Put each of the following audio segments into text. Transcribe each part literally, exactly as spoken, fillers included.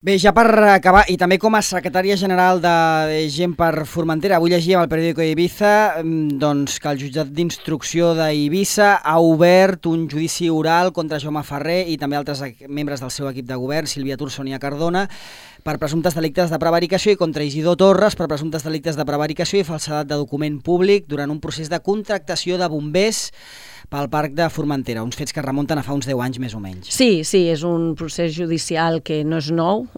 Bé, ja per acabar, i també com a secretària general de Gent per Formentera, avui llegíem al periòdico Ibiza doncs, que el jutjat d'instrucció d'Eivissa ha obert un judici oral contra Jaume Ferrer i també altres membres del seu equip de govern, Sílvia Tur, Sònia Cardona, per presumptes delictes de prevaricació i contra Isidor Torres per presumptes delictes de prevaricació i falsedat de document públic durant un procés de contractació de bombers pel Parc de Formentera, uns fets que remunten a fa uns deu anys més o menys. Sí, sí, és un procés judicial que no és nou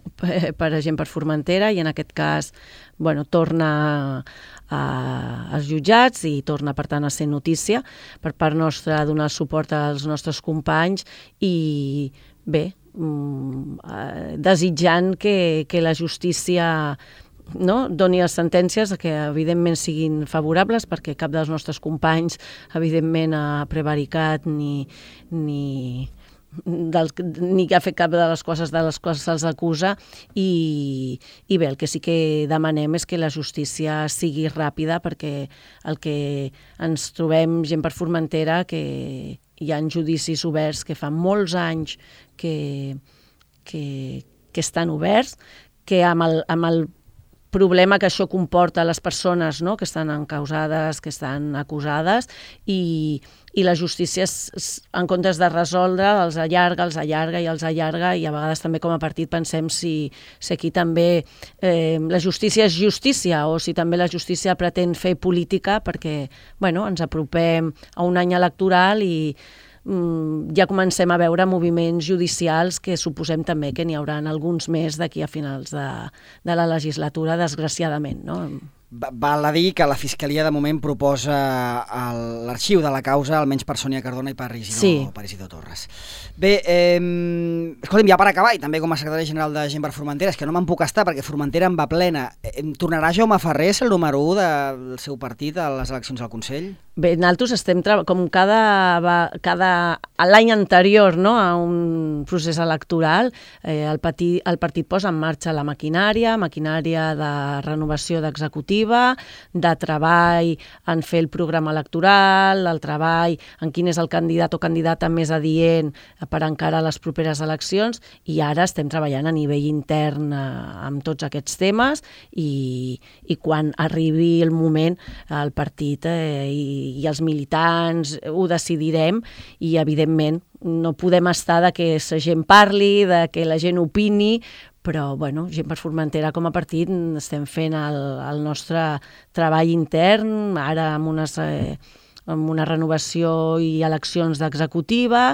per a Gent per Formentera i en aquest cas bueno, torna a, als jutjats i torna per tant a ser notícia per part nostra donar suport als nostres companys i bé, desitjant que, que la justícia no, doni les sentències que evidentment siguin favorables perquè cap dels nostres companys evidentment ha prevaricat ni, ni, del, ni ha fet cap de les coses de les quals se'ls acusa i, i bé, el que sí que demanem és que la justícia sigui ràpida perquè el que ens trobem Gent per Formentera que hi ha judicis oberts que fa molts anys que, que, que estan oberts, que amb el, amb el problema que això comporta a les persones no? que estan encausades, que estan acusades i, i la justícia en comptes de resoldre els allarga, els allarga i els allarga i a vegades també com a partit pensem si, si aquí també eh, la justícia és justícia o si també la justícia pretén fer política perquè bueno, ens apropem a un any electoral i ja comencem a veure moviments judicials que suposem també que n'hi haurà alguns més d'aquí a finals de, de la legislatura, desgraciadament, no? Val a dir que la Fiscalia de moment proposa l'arxiu de la causa almenys per Sònia Cardona i per Isidor, sí. per Isidor Torres. Bé, eh, escolta'm, ja per acabar, i també com a secretari general de Gent per Formentera, és que no me'n puc estar perquè Formentera en va plena. Tornarà Jaume Ferrer a ser el número u del seu partit a les eleccions al Consell? Bé, nosaltres estem com cada, cada l'any anterior no, a un procés electoral, eh, el, partit, el partit posa en marxa la maquinària, maquinària de renovació d'executiva, de treball en fer el programa electoral, el treball en quin és el candidat o candidata més adient per encarar les properes eleccions i ara estem treballant a nivell intern eh, amb tots aquests temes i, i quan arribi el moment el partit eh, i i els militants ho decidirem i evidentment no podem estar de que la gent parli, de que la gent opini, però bueno, Gent per Formentera com a partit estem fent el, el nostre treball intern, ara amb unes... Eh, amb una renovació i eleccions d'executiva,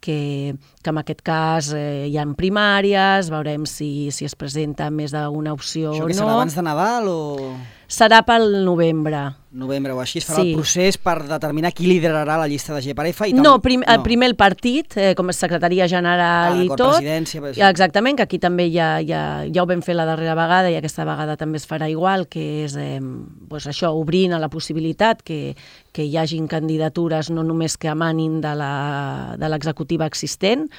que, que en aquest cas eh, hi ha primàries, veurem si, si es presenta més d'una opció o no. Això que serà abans de Nadal o...? Serà pel novembre. Novembre o així, es farà sí. el procés per determinar qui liderarà la llista de G per F? I tam... No, prim, no, primer el partit, eh, com a secretaria general ah, i tot. Presidència, per exactament, que aquí també ja, ja, ja ho vam fer la darrera vegada i aquesta vegada també es farà igual, que és eh, pues això, obrint a la possibilitat que, que hi hagin candidatures no només que emanin de l'executiva existent,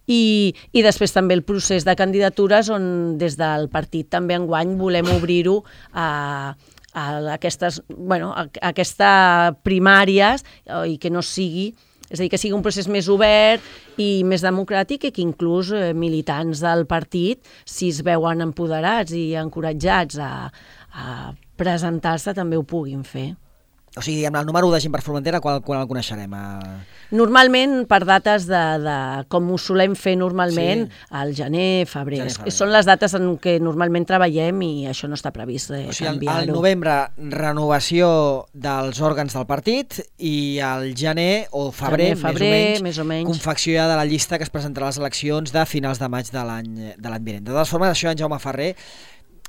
I, i després també el procés de candidatures on des del partit també enguany volem obrir-ho a, a aquestes, bueno, a, a aquestes primàries i que no sigui, és a dir, que sigui un procés més obert i més democràtic i que inclús eh, militants del partit, si es veuen empoderats i encoratjats a, a presentar-se, també ho puguin fer. O sigui, amb el número de Gent per Formentera, quan, quan el coneixerem? Normalment per dates de, de com ho solem fer normalment, sí. al gener, febrer. gener, febrer. Són les dates en què normalment treballem i això no està previst eh, o sigui, canviar-ho. Al novembre, renovació dels òrgans del partit i al gener o febrer, gener, febrer més, o menys, més o menys, confecció ja de la llista que es presentarà a les eleccions de finals de maig de l'any vinent. De totes formes, això en Jaume Ferrer...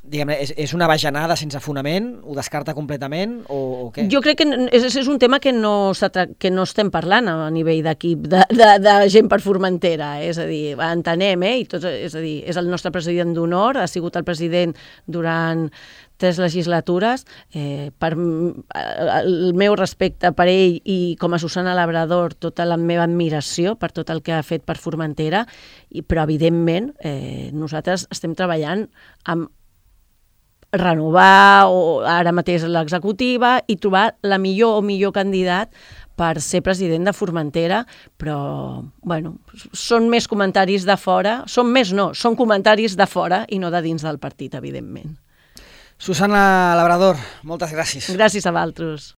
Diguem, és, és una bajanada sense fonament? Ho descarta completament o, o què? Jo crec que és, és un tema que no, que no estem parlant a nivell d'equip de, de, de Gent per Formentera, és a dir, entenem, eh? I tot, és a dir, és el nostre president d'honor, ha sigut el president durant tres legislatures, eh, per el meu respecte per ell i com a Susana Labrador, tota la meva admiració per tot el que ha fet per Formentera, i, però evidentment eh, nosaltres estem treballant amb renovar o ara mateix l'executiva i trobar la millor o millor candidat per ser president de Formentera, però, bueno, són més comentaris de fora, són més no, són comentaris de fora i no de dins del partit, evidentment. Susana Labrador, moltes gràcies. Gràcies a vosaltres.